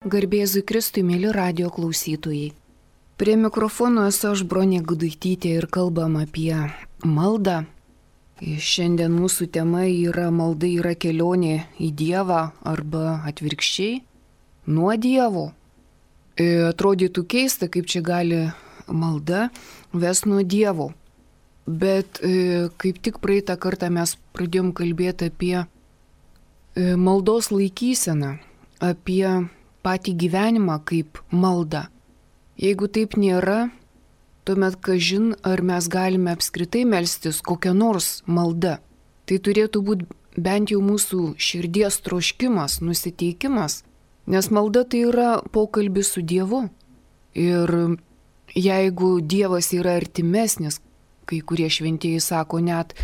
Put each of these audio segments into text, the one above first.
Garbėzui Kristui, mėly radio klausytojai. Prie mikrofono esu aš, Bronė Gudaitytė, ir kalbam apie maldą. Šiandien mūsų tema yra malda yra kelionė į Dievą arba atvirkščiai nuo Dievo. Atrodytų keista, kaip čia gali malda ves nuo Dievo. Bet kaip tik praeitą kartą mes pradėjom kalbėti apie maldos laikyseną, apie patį gyvenimą kaip malda. Jeigu taip nėra, tuomet kažin ar mes galime apskritai melstis kokią nors maldą. Tai turėtų būti bent jau mūsų širdies troškimas, nusiteikimas, nes malda tai yra pokalbis su Dievu. Ir jeigu Dievas yra artimesnis, kai kurie šventieji sako net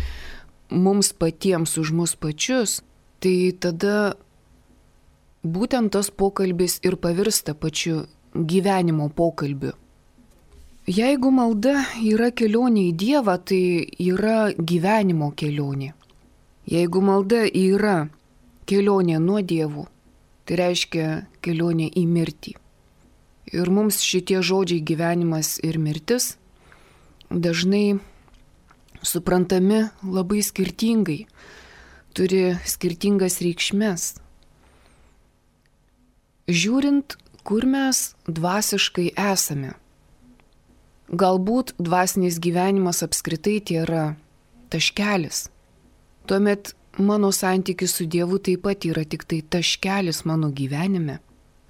mums patiems už mus pačius, tai tada būtent tas pokalbis ir pavirsta pačiu gyvenimo pokalbiu. Jeigu malda yra kelionė į Dievą, tai yra gyvenimo kelionė. Jeigu malda yra kelionė nuo Dievų, tai reiškia kelionė į mirtį. Ir mums šitie žodžiai gyvenimas ir mirtis dažnai suprantami labai skirtingai, turi skirtingas reikšmes. Žiūrint, kur mes dvasiškai esame. Galbūt dvasinis gyvenimas apskritai tai yra taškelis. Tuomet mano santykis su Dievu taip pat yra tik tai taškelis mano gyvenime.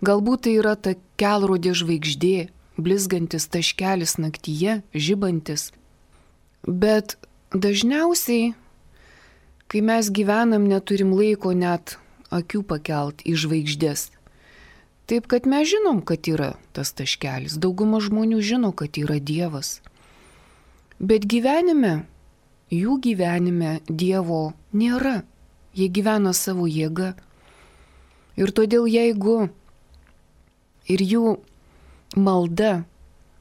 Galbūt tai yra ta kelrodė žvaigždė, blizgantis taškelis naktyje, žibantis. Bet dažniausiai, kai mes gyvenam, neturim laiko net akių pakelt į žvaigždės. Taip, kad mes žinom, kad yra tas taškelis. Dauguma žmonių žino, kad yra Dievas. Bet gyvenime, jų gyvenime Dievo nėra. Jie gyvena savo jėgą. Ir todėl jeigu ir jų malda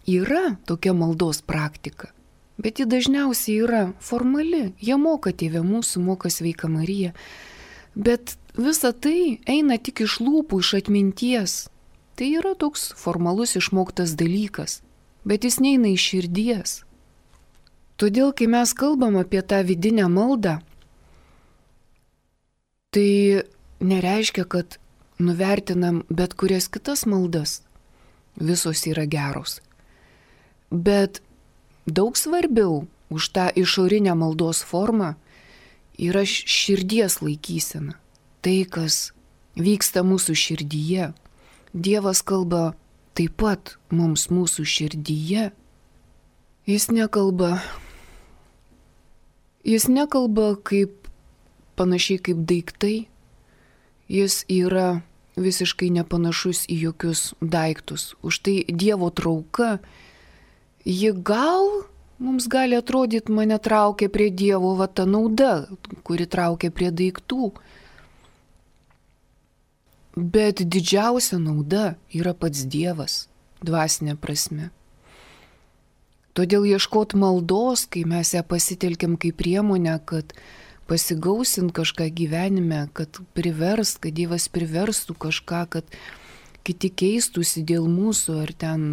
yra tokia maldos praktika, bet ji dažniausiai yra formali. Jie moka Tėve mūsų, moka Sveika Marija. Bet visa tai eina tik iš lūpų, iš atminties. Tai yra toks formalus išmoktas dalykas, bet jis neina iš širdies. Todėl, kai mes kalbam apie tą vidinę maldą, tai nereiškia, kad nuvertinam bet kurias kitas maldas. Visos yra geros. Bet daug svarbiau už tą išorinę maldos formą yra širdies laikysena. Tai, kas vyksta mūsų širdyje. Dievas kalba taip pat mums mūsų širdyje. Jis nekalba kaip panašiai kaip daiktai. Jis yra visiškai nepanašus į jokius daiktus. Už tai Dievo trauka, ji mums gali atrodyti, mane traukia prie Dievo, va ta nauda, kuri traukia prie daiktų. Bet didžiausia nauda yra pats Dievas, dvasinė prasme. Todėl ieškot maldos, kai mes ją pasitelkiam kaip priemonę, kad pasigausint kažką gyvenime, kad Dievas priverstų kažką, kad kiti keistųsi dėl mūsų, ar ten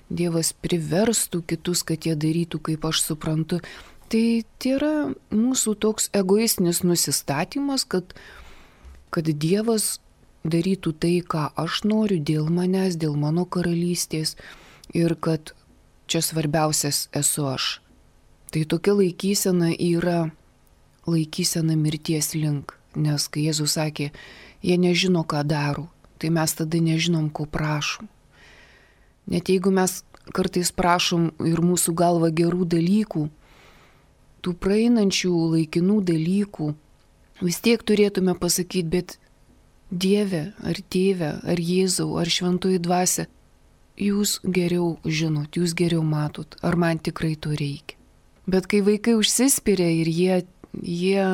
Dievas priverstų kitus, kad jie darytų, kaip aš suprantu. Tai yra mūsų toks egoistinis nusistatymas, kad Dievas darytų tai, ką aš noriu dėl manęs, dėl mano karalystės ir kad čia svarbiausias esu aš. Tai tokia laikysena yra laikysena mirties link, nes kai Jėzus sakė, jie nežino, ką daro, tai mes tada nežinom, ko prašom. Net jeigu mes kartais prašom ir mūsų galva gerų dalykų, tų praeinančių laikinų dalykų, vis tiek turėtume pasakyti, bet Dieve, ar Tėve, ar Jėzau, ar Šventoji Dvasia, jūs geriau žinot, jūs geriau matot, ar man tikrai to reikia. Bet kai vaikai užsispiria ir jie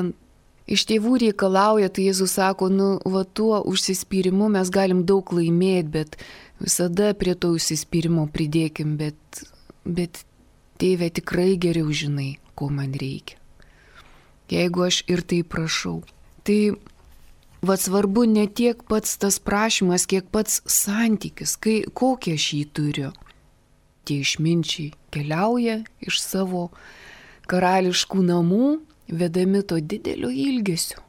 iš tėvų reikalauja, tai Jėzus sako, tuo užsispyrimu mes galim daug laimėti, bet visada prie to užsispyrimo pridėkim, bet Tėve tikrai geriau žinai, ko man reikia. Jeigu aš ir tai prašau. Tai Vat svarbu ne tiek pats tas prašymas, kiek pats santykis, kokį aš jį turiu. Tie išminčiai keliauja iš savo karališkų namų, vedami to didelio ilgesio.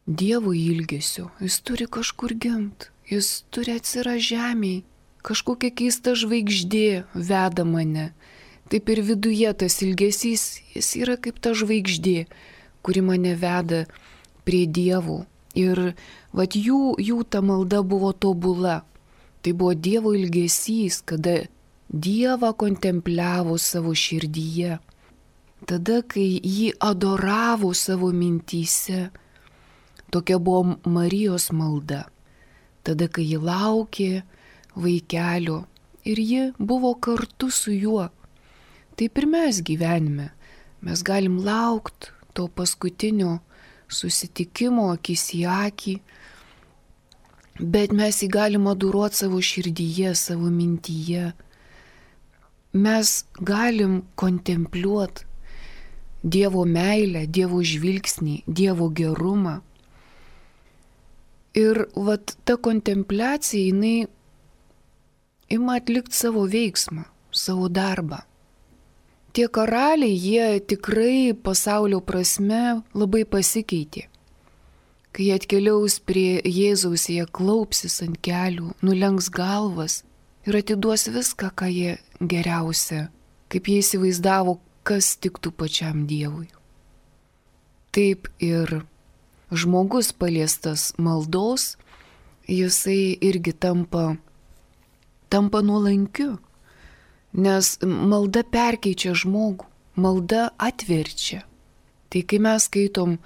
Dievo ilgesio. Jis turi kažkur gimti, jis turi atsirasti žemėje, kažkokia keista žvaigždė veda mane. Taip ir viduje tas ilgesys, jis yra kaip ta žvaigždė, kuri mane veda prie Dievo. Ir vat jų ta malda buvo tobula. Tai buvo Dievo ilgesys, kada Dievą kontempliavo savo širdyje. Tada, kai jį adoravo savo mintyse. Tokia buvo Marijos malda. Tada, kai ji laukė vaikelio ir ji buvo kartu su juo. Taip ir mes gyvenime. Mes galim laukti to paskutinio susitikimo akis į akį, bet mes jį galim adoruoti savo širdyje, savo mintyje. Mes galim kontempliuoti Dievo meilę, Dievo žvilgsnį, Dievo gerumą. Ir vat ta kontempliacija, jinai ima atlikti savo veiksmą, savo darbą. Tie karaliai, jie tikrai pasaulio prasme labai pasikeitė. Kai jie atkeliaus prie Jėzaus, jie klaupsis ant kelių, nulenks galvas ir atiduos viską, ką jie geriausia, kaip jie įsivaizdavo, kas tiktų pačiam Dievui. Taip ir žmogus paliestas maldos, jisai irgi tampa nuolankiu. Nes malda perkeičia žmogų, malda atverčia. Tai kai mes skaitom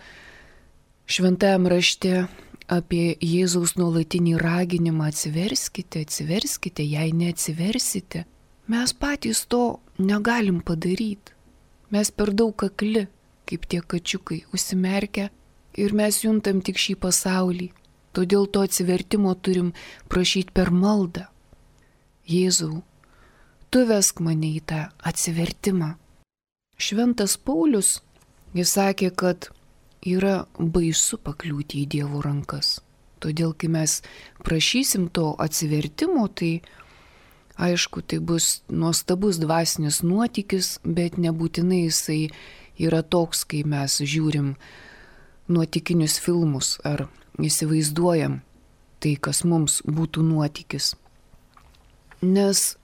šventajame rašte apie Jėzaus nuolatinį raginimą atsiverskite, atsiverskite, jei neatsiversite, mes patys to negalim padaryti. Mes per daug akli, kaip tie kačiukai, užsimerkę ir mes juntam tik šį pasaulį. Todėl to atsivertimo turim prašyti per maldą. Jėzau, tu vesk mane į tą atsivertimą. Šventas Paulius, jis sakė, kad yra baisu pakliūti į Dievo rankas. Todėl, kai mes prašysim to atsivertimo, tai aišku, tai bus nuostabus dvasinis nuotykis, bet nebūtinai jisai yra toks, kai mes žiūrim nuotykinius filmus ar įsivaizduojam tai, kas mums būtų nuotykis. Nes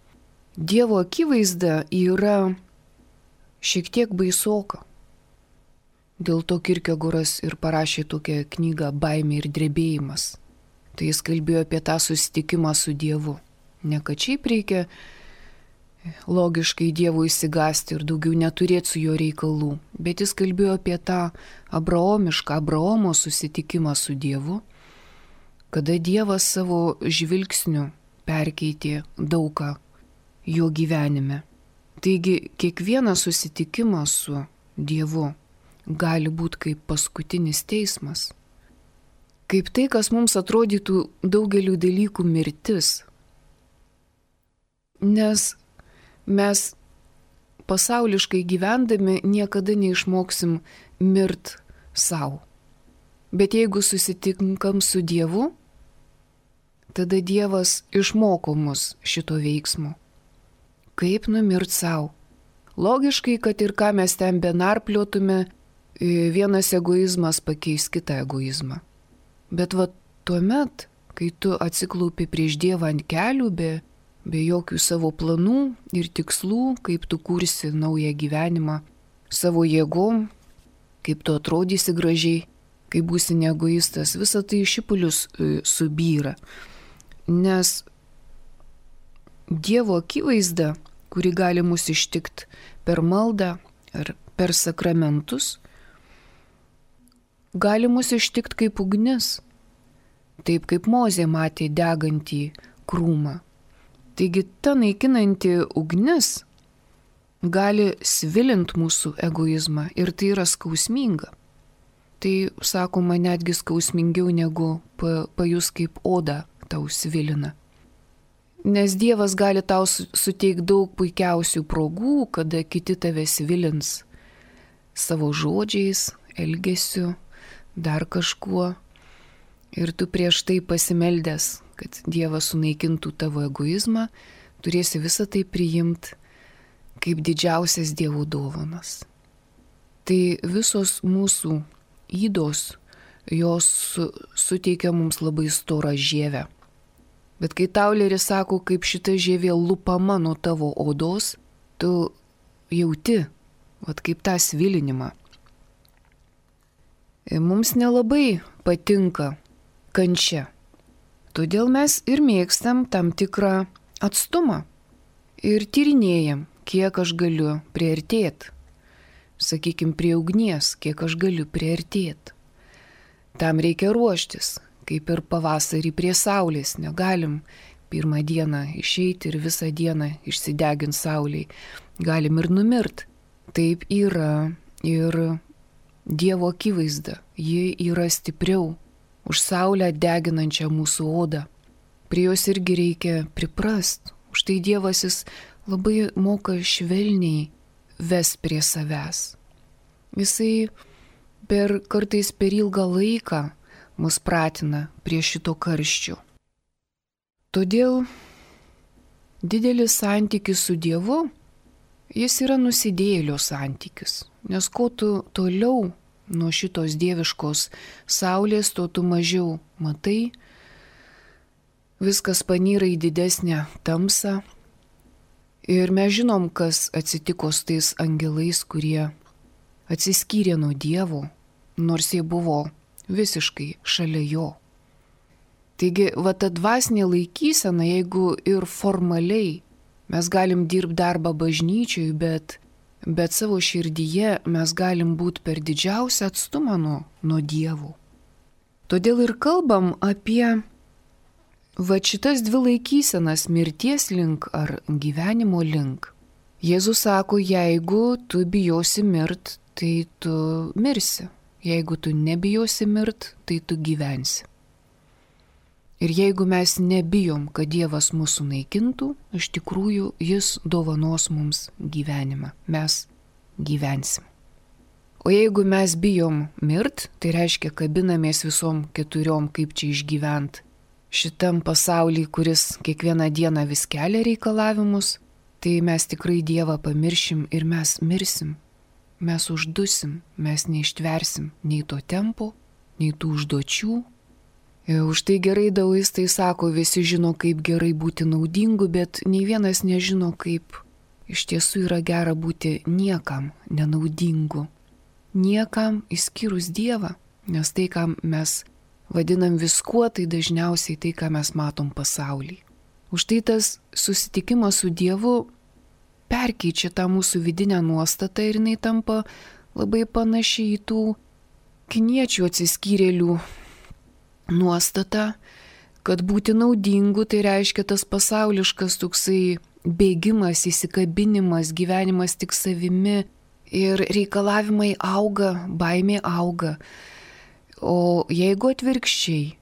Dievo akivaizda yra šiek tiek baisoka. Dėl to Kierkegoras ir parašė tokią knygą Baimė ir drebėjimas. Tai jis kalbėjo apie tą susitikimą su Dievu. Ne kad šiaip reikia logiškai Dievu įsigasti ir daugiau neturėti su jo reikalų, bet jis kalbėjo apie tą Abraomo susitikimą su Dievu, kada Dievas savo žvilgsniu perkeitė daugą jo gyvenime. Taigi kiekvienas susitikimas su Dievu gali būti kaip paskutinis teismas. Kaip tai, kas mums atrodytų daugeliu dalykų mirtis. Nes mes pasauliškai gyvendami niekada neišmoksim mirt savo. Bet jeigu susitinkam su Dievu, tada Dievas išmoko mus šito veiksmo. Kaip numirt savo. Logiškai, kad ir ką mes ten benarpliotume, vienas egoizmas pakeis kitą egoizmą. Bet va tuomet, kai tu atsiklaupi prieš Dievą ant kelių, be jokių savo planų ir tikslų, kaip tu kursi naują gyvenimą savo jėgom, kaip tu atrodysi gražiai, kai būsi neegoistas, visa tai šipulius subyra. Nes Dievo akivaizda, kuri gali mus ištikti per maldą ar per sakramentus, gali mus ištikti kaip ugnis, taip kaip Mozė matė degantį krūmą. Taigi ta naikinanti ugnis gali svilinti mūsų egoizmą ir tai yra skausminga. Tai, sakoma, netgi skausmingiau negu pajus kaip oda tau svilina. Nes Dievas gali tau suteikti daug puikiausių progų, kada kiti tave svilins savo žodžiais, elgesiu, dar kažkuo. ir tu prieš tai pasimeldęs, kad Dievas sunaikintų tavo egoizmą, turėsi visą tai priimti kaip didžiausias Dievo dovanas. Tai visos mūsų ydos, jos suteikia mums labai storą žievę. Bet kai Tauleris sako, kaip šita žievė lupama nuo tavo odos, tu jauti, kaip tą svilinimą. Mums nelabai patinka kančia. Todėl mes ir mėgstam tam tikrą atstumą. Ir tyrinėjam, kiek aš galiu priartėti. Sakykime, prie ugnies, kiek aš galiu priartėti. Tam reikia ruoštis, kaip ir pavasarį prie saulės. Negalim pirmą dieną išeiti ir visą dieną išsideginti saulėj. Galim ir numirt. Taip yra ir Dievo akivaizda. Ji yra stipriau už saulę deginančią mūsų odą. Prie jos irgi reikia priprast. Užtai Dievas jis labai moka švelniai ves prie savęs. Jisai kartais per ilgą laiką mus pratina prie šito karščio. Todėl didelis santykis su Dievu, jis yra nusidėjėlio santykis. Nes kuo tu toliau nuo šitos dieviškos saulės, tuo tu mažiau matai, viskas panyra į didesnę tamsą. Ir mes žinom, kas atsitiko su tais angelais, kurie atsiskyrė nuo Dievo, nors jie buvo visiškai šalia jo. Taigi, ta dvasinė laikysena, jeigu ir formaliai mes galim dirbti darbą bažnyčioj, bet savo širdyje mes galim būti per didžiausią atstumą nuo Dievo. Todėl ir kalbam apie šitas dvi laikysenas, mirties link ar gyvenimo link. Jėzus sako, jeigu tu bijosi mirt, tai tu mirsi. Jeigu tu nebijosi mirt, tai tu gyvensi. Ir jeigu mes nebijom, kad Dievas mūsų naikintų, iš tikrųjų jis dovanos mums gyvenimą. Mes gyvensim. O jeigu mes bijom mirt, tai reiškia kabinamės visom keturiom, kaip čia išgyvent šitam pasauly, kuris kiekvieną dieną vis kelia reikalavimus, tai mes tikrai Dievą pamiršim ir mes mirsim. Mes uždusim, mes neištversim nei to tempo, nei tų užduočių. Už tai gerai daoistai sako, visi žino, kaip gerai būti naudingu, bet nei vienas nežino, kaip iš tiesų yra gera būti niekam nenaudingu. Niekam išskyrus Dievą, nes tai, ką mes vadinam viskuo, tai dažniausiai tai, ką mes matom pasaulyje. Už tai tas susitikimas su Dievu perkeičia tą mūsų vidinę nuostatą ir jinai tampa labai panaši į tų kiniečių atsiskyrėlių nuostata, kad būti naudingu tai reiškia tas pasauliškas toksai bėgimas, įsikabinimas, gyvenimas tik savimi ir reikalavimai auga, baimė auga. O jeigu atvirkščiai,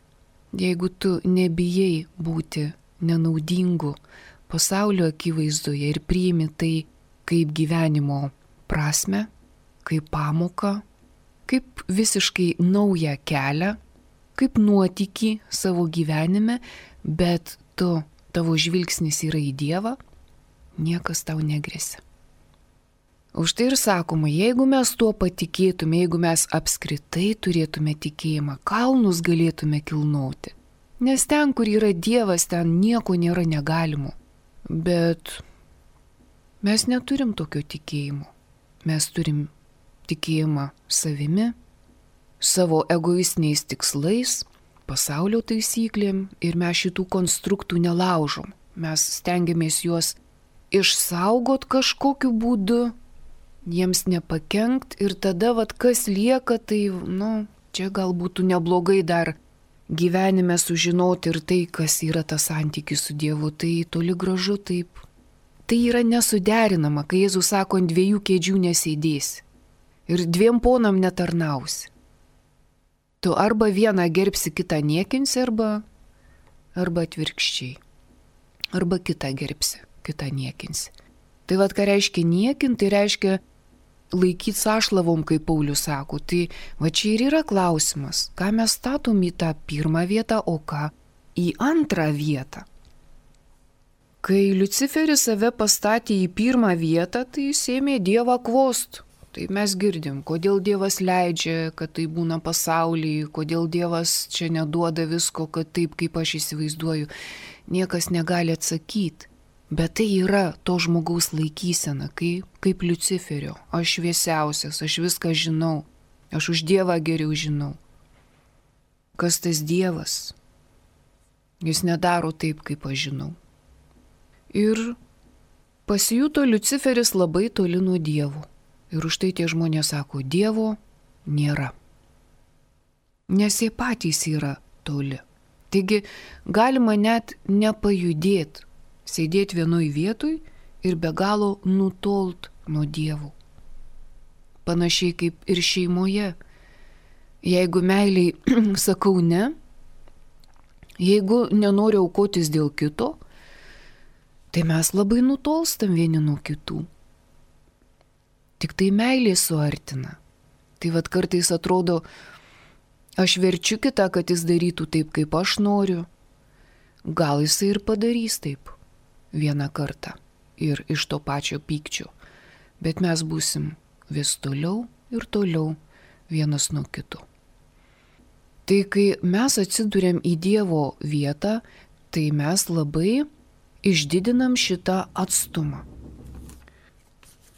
jeigu tu nebijai būti nenaudingu pasaulio akivaizdoje ir priimi tai kaip gyvenimo prasme, kaip pamoką, kaip visiškai naują kelią, kaip nuotykį savo gyvenime, bet tavo žvilgsnis yra į Dievą, niekas tau negresia. Už tai ir sakoma, jeigu mes tuo patikėtume, jeigu mes apskritai turėtume tikėjimą, kalnus galėtume kilnoti. Nes ten, kur yra Dievas, ten nieko nėra negalimo. Bet mes neturim tokio tikėjimo. Mes turim tikėjimą savimi, savo egoistiniais tikslais, pasaulio taisyklėm ir mes šitų konstruktų nelaužom. Mes stengiamės juos išsaugot kažkokiu būdu, jiems nepakenkt ir tada kas lieka, tai čia gal būtų neblogai dar gyvenime sužinoti ir tai, kas yra tas santykis su Dievu, tai toli gražu taip. Tai yra nesuderinama, kai Jėzus sako, ant dviejų kėdžių nesėdėsi ir dviem ponam netarnausi. Tu arba vieną gerbsi, kitą niekinsi, arba atvirkščiai. Arba kitą gerbsi, kitą niekinsi. Tai ką reiškia niekinti, tai reiškia laikyti sąšlavom, kaip Paulius sako. Tai va čia ir yra klausimas, ką mes statom į tą pirmą vietą, o ką į antrą vietą. Kai Liuciferis save pastatė į pirmą vietą, tai jis ėmė Dievą kvost. Tai mes girdim, kodėl Dievas leidžia, kad tai būna pasaulyje, kodėl Dievas čia neduoda visko, kad taip, kaip aš įsivaizduoju. Niekas negali atsakyti. Bet tai yra to žmogaus laikysena, kaip Liuciferio. Aš šviesiausias, aš viską žinau, aš už Dievą geriau žinau. Kas tas Dievas? Jis nedaro taip, kaip aš žinau. Ir pasijuto Liuciferis labai toli nuo Dievo. Ir už tai tie žmonės sako, Dievo nėra. Nes jie patys yra toli. Taigi galima net nepajudėti, sėdėti vienoj vietoj ir be galo nutolt nuo Dievo. Panašiai kaip ir šeimoje. Jeigu meiliai sakau ne, jeigu nenoriu aukotis dėl kito, tai mes labai nutolstam vieni nuo kitų. Tik tai meilė suartina. Tai vad kartais atrodo, aš verčiu kitą, kad jis darytų taip, kaip aš noriu. Gal jisai ir padarys taip vieną kartą ir iš to pačio pykčio. Bet mes būsim vis toliau ir toliau vienas nuo kito. Tai kai mes atsiduriam į Dievo vietą, tai mes labai išdidinam šitą atstumą.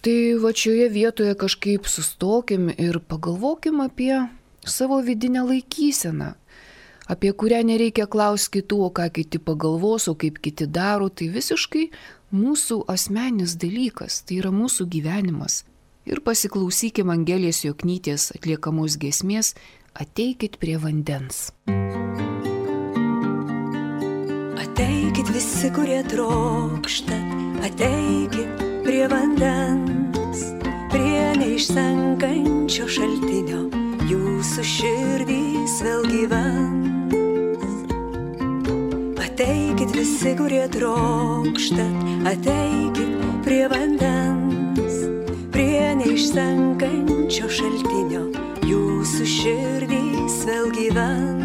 Tai va šioje vietoje kažkaip sustokim ir pagalvokim apie savo vidinę laikyseną, apie kurią nereikia klausti kitų, o ką kiti pagalvos, o kaip kiti daro, tai visiškai mūsų asmeninis dalykas, tai yra mūsų gyvenimas. Ir pasiklausykim Angelės Joknytės atliekamos giesmės Ateikit prie vandens. Ateikit visi, kurie trokštat, ateikit prie vandens, prie neišsenkančio šaltinio, jūsų širdys vėl gyvens. Ateikit visi, kurie trokštat, ateikit prie vandens, prie neišsenkančio šaltinio, jūsų širdys vėl gyvens.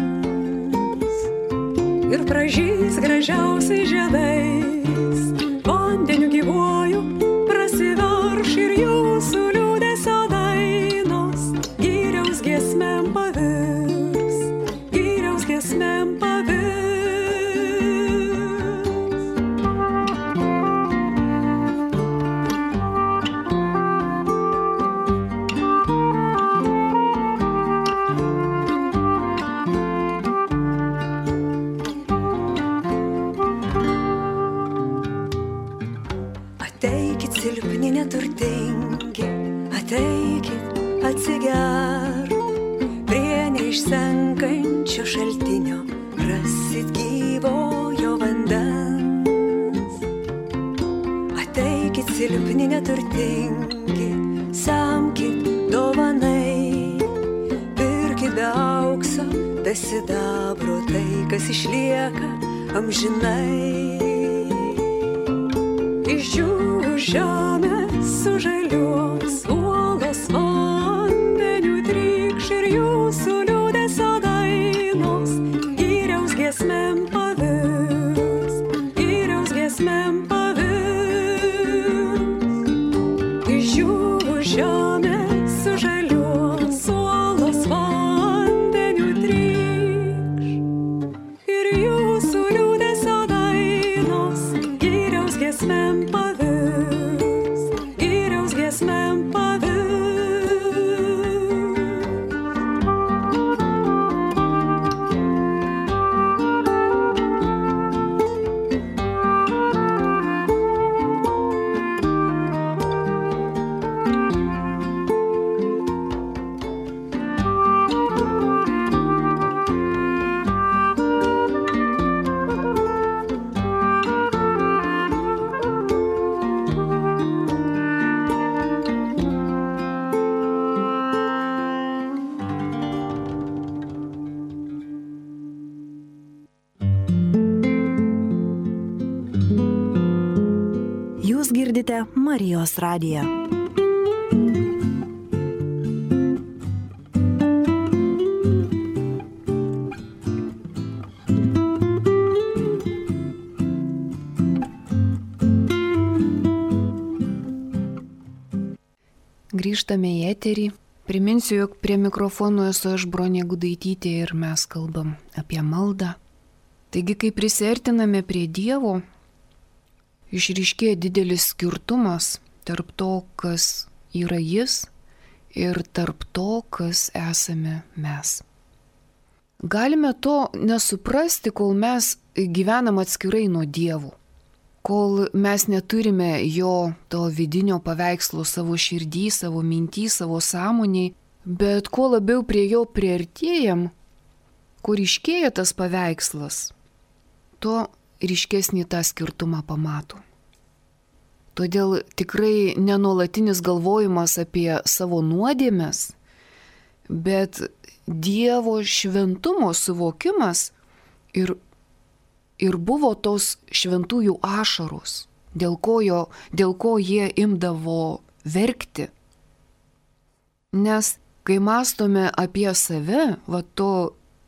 Ir pražys gražiausiai žiedais, vandeniu gyvuoju prasiverš ir jūsų liūdesio dainos gyriaus giesmėm pavirs, gyriaus giesmėm pavirs. Ateikit silpni neturtingi, ateikit atsigerk, prie neišsenkančio šaltinio rasit gyvojo vandens. Ateikit silpni neturtingi, semkit dovanai, pirkit be aukso, be sidabro tai, kas išlieka amžinai. Iš jų žemės sužaliuos, uolos vandeniu trykš ir jūsų liūdesio dainos gyriaus giesmėm pavirs, gyriaus giesmėm pavirs. Iš jų žemės sužaliuos, uolos vandeniu trykš ir jūsų liūdesio dainos gyriaus giesmėm pavirs, gyriaus giesmėm pavirs. Jūs girdite Marijos radiją. grįžtame į eterį. Priminsiu, jog prie mikrofono esu aš, Bronė Gudaitytė, ir mes kalbam apie maldą. Taigi, kai prisiartiname prie Dievo, išryškėja didelis skirtumas tarp to, kas yra Jis, ir tarp to, kas esame mes. Galime to nesuprasti, kol mes gyvenam atskirai nuo Dievo, kol mes neturime jo to vidinio paveikslo savo širdį, savo mintį, savo sąmoniai, bet kuo labiau prie jo priartėjam, kur ryškėja tas paveikslas, tuo ryškesnį tą skirtumą pamato. Todėl tikrai nenuolatinis galvojimas apie savo nuodėmes, bet Dievo šventumo suvokimas ir buvo tos šventųjų ašaros, dėl ko jie imdavo verkti. Nes kai mąstome apie save, to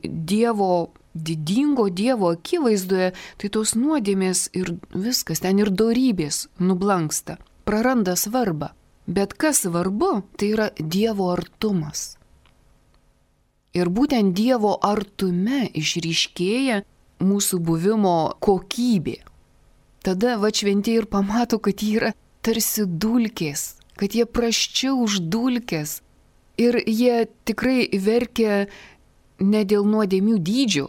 Dievo, didingo Dievo akivaizdoje, tai tos nuodėmės ir viskas, ten ir dorybės nublanksta, praranda svarbą. Bet kas svarbu, tai yra Dievo artumas. Ir būtent Dievo artume išryškėja mūsų buvimo kokybė. Tada šventieji ir pamato, kad jie yra tarsi dulkės, kad jie prasčiau už dulkės. Ir jie tikrai verkia ne dėl nuodėmių dydžio.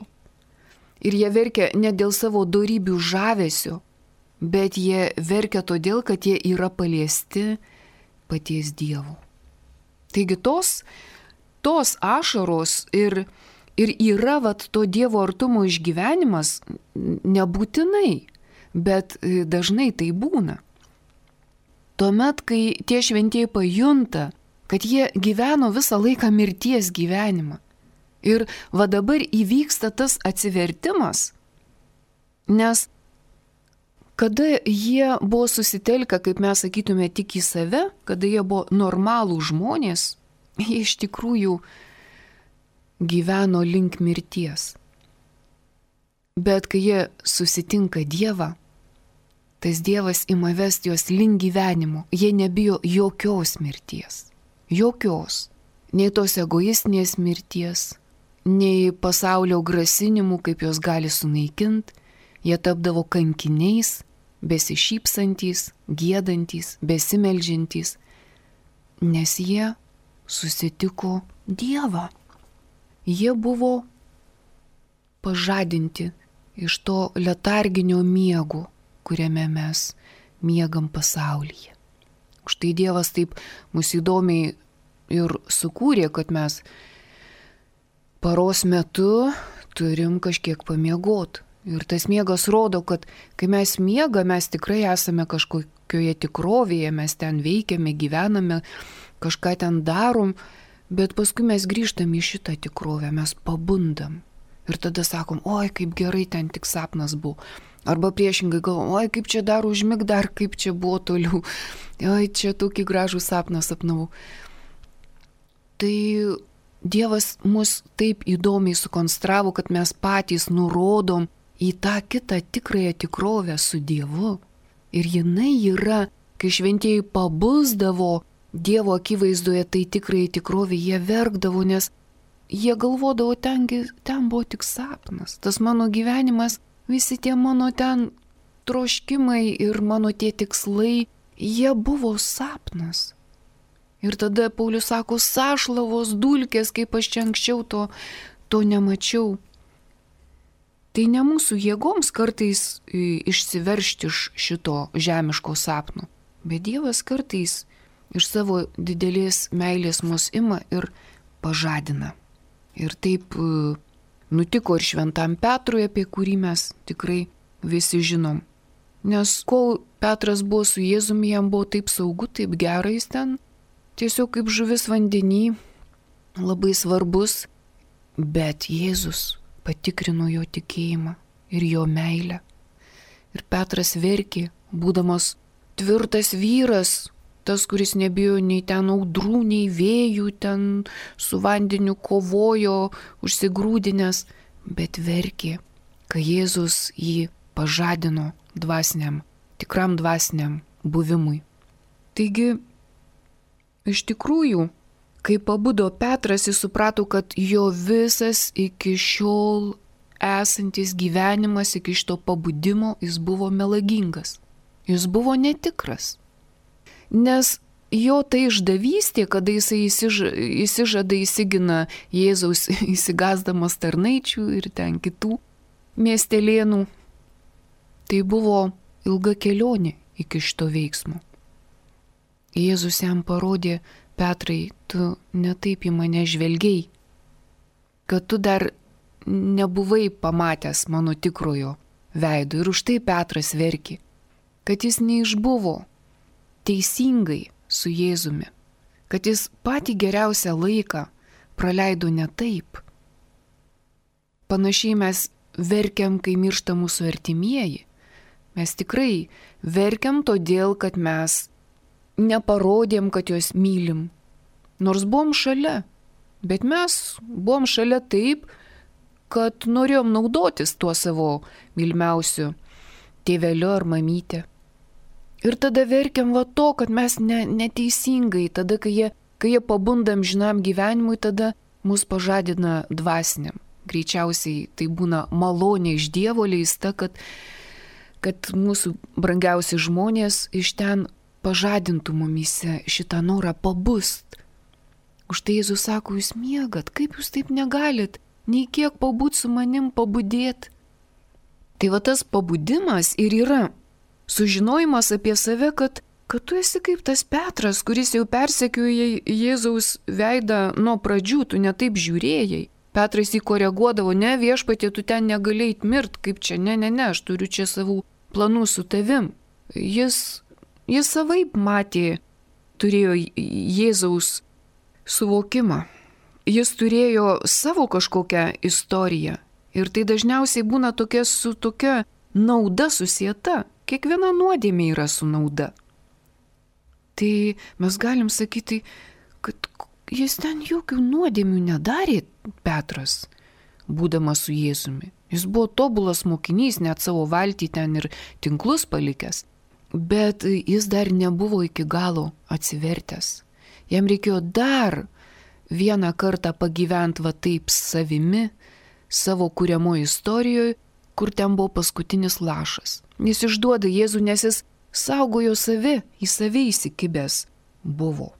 Ir jie verkia ne dėl savo dorybių žavesio, bet jie verkia todėl, kad jie yra paliesti paties Dievo. Taigi tos ašaros ir yra to Dievo artumo išgyvenimas nebūtinai, bet dažnai tai būna. Tuomet, kai tie šventieji pajunta, kad jie gyveno visą laiką mirties gyvenimą. Ir dabar įvyksta tas atsivertimas, nes kada jie buvo susitelkę, kaip mes sakytume, tik į save, kada jie buvo normalų žmonės, jie iš tikrųjų gyveno link mirties. Bet kai jie susitinka Dievą, tas Dievas ima vesti juos link gyvenimo. Jie nebijo jokios mirties. Jokios. Nei tos egoistinės mirties, nei pasaulio grasinimų, kaip jos gali sunaikinti. Jie tapdavo kankiniais, besišypsantys, giedantys, besimeldžiantys, nes jie susitiko Dievą. Jie buvo pažadinti iš to letarginio miego, kuriame mes miegam pasaulyje. Štai Dievas taip mus įdomiai ir sukūrė, kad mes paros metu turim kažkiek pamiegoti. Ir tas miegas rodo, kad kai mes miegame, mes tikrai esame kažkokioje tikrovėje, mes ten veikiame, gyvename, kažką ten darom, bet paskui mes grįžtam į šitą tikrovę, mes pabundam. Ir tada sakom, oi, kaip gerai ten tik sapnas buvo. Arba priešingai galvom, oi, kaip čia dar užmig, dar kaip čia buvo toliau. Oi, čia tokį gražų sapną sapnavau. Tai Dievas mus taip įdomiai sukonstravo, kad mes patys nurodom į tą kitą tikrąją tikrovę su Dievu. Ir jinai yra, kai šventieji pabusdavo Dievo akivaizdoje, tai tikrai tikrovė, jie verkdavo, nes jie galvodavo, ten buvo tik sapnas. Tas mano gyvenimas, visi tie mano ten troškimai ir mano tie tikslai, jie buvo sapnas. Ir tada Paulius sako, sašlavos dulkės, kaip aš čia anksčiau to nemačiau. Tai ne mūsų jėgoms kartais išsiveršti iš šito žemiško sapno, bet Dievas kartais iš savo didelės meilės mus ima ir pažadina. Ir taip nutiko ir šventam Petrui, apie kurį mes tikrai visi žinom. Nes kol Petras buvo su Jėzumi, jam buvo taip saugu, taip gerai, jis ten tiesiog kaip žuvis vandenį, labai svarbus, bet Jėzus patikrino jo tikėjimą ir jo meilę. Ir Petras verkė, būdamas tvirtas vyras, tas, kuris nebijo nei ten audrų, nei vėjų, ten su vandeniu kovojo, užsigrūdinęs, bet verkė, kai Jėzus jį pažadino tikram dvasiniam buvimui. Taigi, Iš tikrųjų, kai pabudo Petras, jis suprato, kad jo visas iki šiol esantis gyvenimas, iki šito pabudimo, jis buvo melagingas. Jis buvo netikras. Nes jo tai išdavystė, kada jisai įsižada, įsigina Jėzaus įsigasdamas tarnaičių ir ten kitų miestelėnų, tai buvo ilga kelionė iki šito veiksmo. Jėzus jam parodė: Petrai, tu netaip į mane žvelgiai, kad tu dar nebuvai pamatęs mano tikrojo veido. Ir už tai Petras verkė, kad jis neišbuvo teisingai su Jėzumi, kad jis patį geriausią laiką praleido ne taip. Panašiai mes verkiam, kai miršta mūsų artimieji. Mes tikrai verkiam todėl, kad mes neparodėm, kad juos mylim. Nors buvom šalia, bet mes buvom šalia taip, kad norėjom naudotis tuo savo mylimiausiu tėveliu ar mamytė. Ir tada verkiam va to, kad mes neteisingai, tada, kai jie pabunda amžinam gyvenimui, tada mus pažadina dvasiniam. Greičiausiai tai būna malonė iš Dievo leista, kad mūsų brangiausi žmonės iš ten pažadintų mumyse šitą norą pabust. Už tai Jėzus sako: jūs miegat, kaip jūs taip negalit, nei kiek pabūt su manim, pabudėt. Tai va tas pabudimas ir yra sužinojimas apie save, kad tu esi kaip tas Petras, kuris jau persekioja Jėzaus veidą nuo pradžių, tu netaip žiūrėjai. Petras jį koreguodavo: ne, viešpatie, tu ten negalėjai mirt, kaip čia, ne, aš turiu čia savų planų su tavim. Jis savaip matė, turėjo Jėzaus suvokimą. Jis turėjo savo kažkokią istoriją. Ir tai dažniausiai būna su tokia nauda susieta. Kiekviena nuodėmė yra su nauda. Tai mes galim sakyti, kad jis ten jokių nuodėmių nedarė, Petras, būdamas su Jėzumi. Jis buvo tobulas mokinys, net savo valtį ten ir tinklus palikęs. Bet jis dar nebuvo iki galo atsivertęs. Jam reikėjo dar vieną kartą pagyventi va taip savimi, savo kuriamoje istorijoje, kur ten buvo paskutinis lašas. Jis išduoda Jėzų, nes jis saugojo save, į save įsikibęs buvo.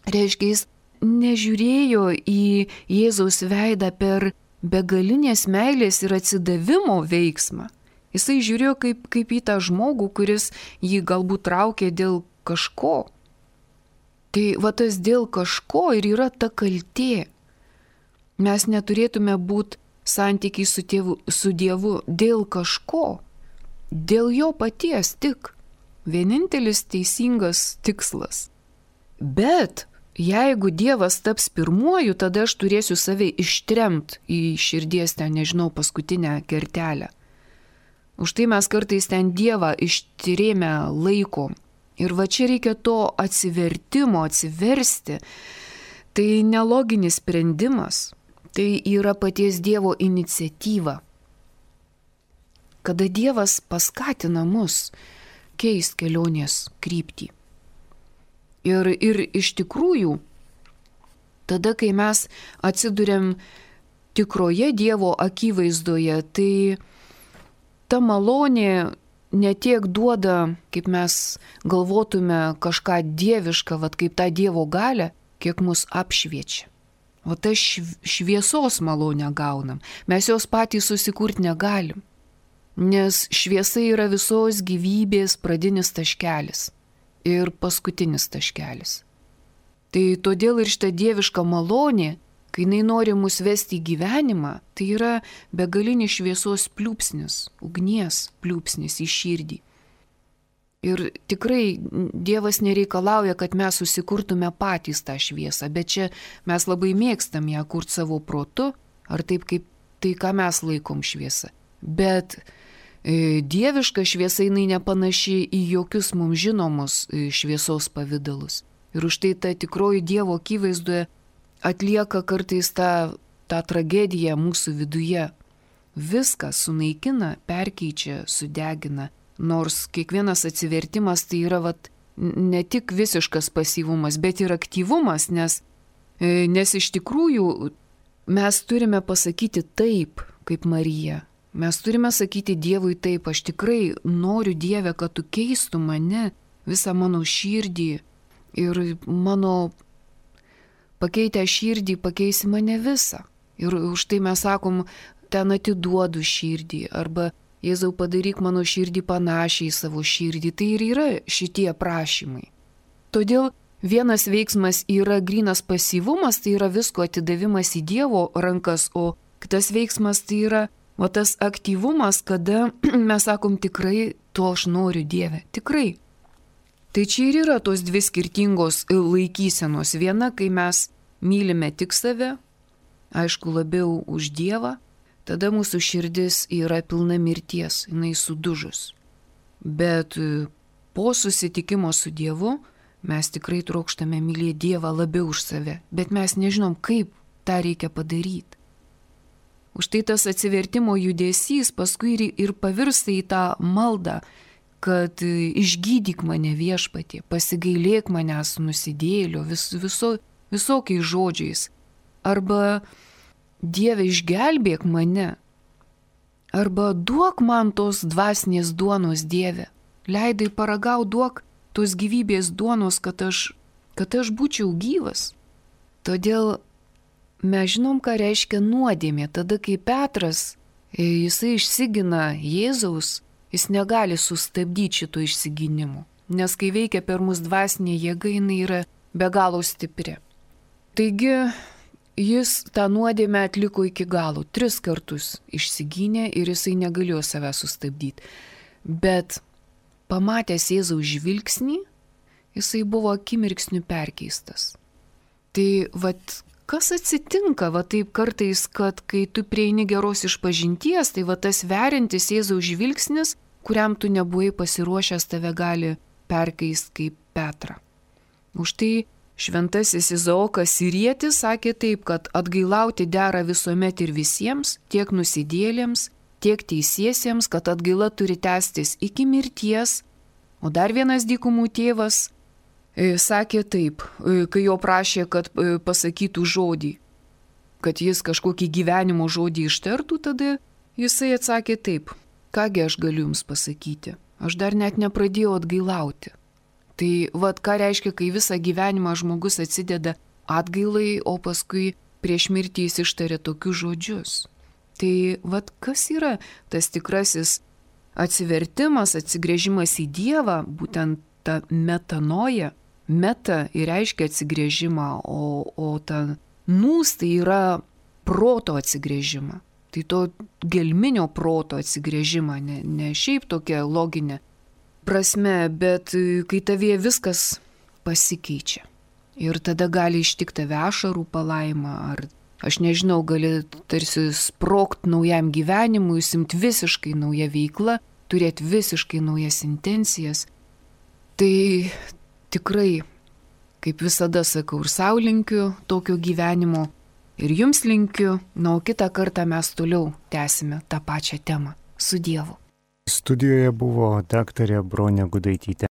Reiškia, jis nežiūrėjo į Jėzaus veidą per begalinės meilės ir atsidavimo veiksmą. Jisai žiūrėjo kaip į tą žmogų, kuris jį galbūt traukė dėl kažko. Tai va tas dėl kažko ir yra ta kaltė. Mes neturėtume būti santykiai su Dievu dėl kažko, dėl jo paties tik. Vienintelis teisingas tikslas. Bet jeigu Dievas taps pirmuoju, tada aš turėsiu save ištremt į širdies ten, paskutinę kertelę. Už tai mes kartais ten Dievą ištirėme laiko. Ir va čia reikia to atsivertimo, atsiversti. Tai neloginis sprendimas. Tai yra paties Dievo iniciatyva. Kada Dievas paskatina mus keist kelionės kryptį. Ir iš tikrųjų, tada, kai mes atsiduriam tikroje Dievo akivaizdoje, tai ta malonė netiek duoda, kaip mes galvotume kažką dievišką, kaip tą Dievo galią, kiek mus apšviečia. O tą šviesos malonę gaunam. Mes jos patys susikurti negalim. Nes šviesa yra visos gyvybės pradinis taškelis ir paskutinis taškelis. Tai todėl ir šita dieviška malonė, kai jinai nori mus vesti į gyvenimą, tai yra begalinis šviesos pliūpsnis, ugnies pliūpsnis į širdį. Ir tikrai Dievas nereikalauja, kad mes susikurtume patys tą šviesą, bet čia mes labai mėgstam ją kurti savo protu, ar taip kaip tai, ką mes laikom šviesą. Bet dieviška šviesa jinai nepanaši į jokius mums žinomus šviesos pavydalus. Ir už tai ta tikroji Dievo akivaizdoje atlieka kartais tą tragediją mūsų viduje. Viską sunaikina, perkeičia, sudegina. Nors kiekvienas atsivertimas tai yra ne tik visiškas pasyvumas, bet ir aktyvumas, nes iš tikrųjų mes turime pasakyti taip, kaip Marija. Mes turime sakyti Dievui taip, aš tikrai noriu Dieve, kad tu keistų mane, visą mano širdį ir mano pakeitę širdį pakeisi mane visą. Ir už tai mes sakom, ten atiduodu širdį arba Jėzau padaryk mano širdį panašiai į savo širdį. Tai ir yra šitie prašymai. Todėl vienas veiksmas yra grynas pasyvumas, tai yra visko atidavimas į Dievo rankas, o kitas veiksmas tai yra tas aktyvumas, kada mes sakom tikrai to aš noriu Dieve, tikrai. Tai čia ir yra tos dvi skirtingos laikysenos. Viena, kai mes mylime tik save, aišku labiau už Dievą, tada mūsų širdis yra pilna mirties, jinai sudužus. Bet po susitikimo su Dievu mes tikrai trokštame mylėti Dievą labiau už save, bet mes nežinom, kaip tą reikia padaryti. Už tai tas atsivertimo judesys paskui ir pavirsta į tą maldą, kad išgydyk mane Viešpatie, pasigailėk manęs nusidėjėlio visokiais žodžiais. Arba Dieve išgelbėk mane. Arba duok man tos dvasinės duonos Dieve. Leidai paragau, duok tos gyvybės duonos, kad aš būčiau gyvas. Todėl mes žinom, ką reiškia nuodėmė. Tada, kai Petras, jisai išsigina Jėzaus, jis negali sustabdyti šito išsigynimo. Nes kai veikia per mus dvasinė jėga, jinai yra be galo stipri. Taigi, jis tą nuodėmę atliko iki galo. 3 kartus išsigynė ir jisai negalėjo save sustabdyti. Bet pamatęs Jėzaus žvilgsnį, jisai buvo akimirksniu perkeistas. Tai kas atsitinka taip kartais, kad kai tu prieini geros išpažinties, tai tas veriantis Jėzaus žvilgsnis, kuriam tu nebuvai pasiruošęs, tave gali perkeisti kaip Petrą. Už tai šventasis Izaokas Sirietis sakė taip, kad atgailauti dera visuomet ir visiems, tiek nusidėlėms, tiek teisiesiems, kad atgaila turi tęstis iki mirties. O dar vienas dykumų tėvas sakė taip, kai jo prašė, kad pasakytų žodį, kad jis kažkokį gyvenimo žodį ištartų, tada jisai atsakė taip, kągi aš galiu jums pasakyti, aš dar net nepradėjau atgailauti. Tai ką reiškia, kai visą gyvenimą žmogus atsideda atgailai, o paskui prieš mirtį jis ištarė tokius žodžius. Tai kas yra tas tikrasis atsivertimas, atsigręžimas į Dievą, būtent ta metanoja. Meta ir reiškia atsigręžimą, o ta nūs tai yra proto atsigręžimą. Tai to gelminio proto atsigręžimą, ne šiaip tokia loginė prasme, bet kai tavie viskas pasikeičia. Ir tada gali ištikti tave ašarų palaima, ar aš nežinau, gali tarsi sprogt naujam gyvenimui, simti visiškai naują veiklą, turėti visiškai naujas intencijas. Tai tikrai, kaip visada sakau, ir sau linkiu tokio gyvenimo, ir jums linkiu, o kitą kartą mes toliau tęsime tą pačią temą. Su Dievu. Studijoje buvo daktarė Bronė Gudaitytė.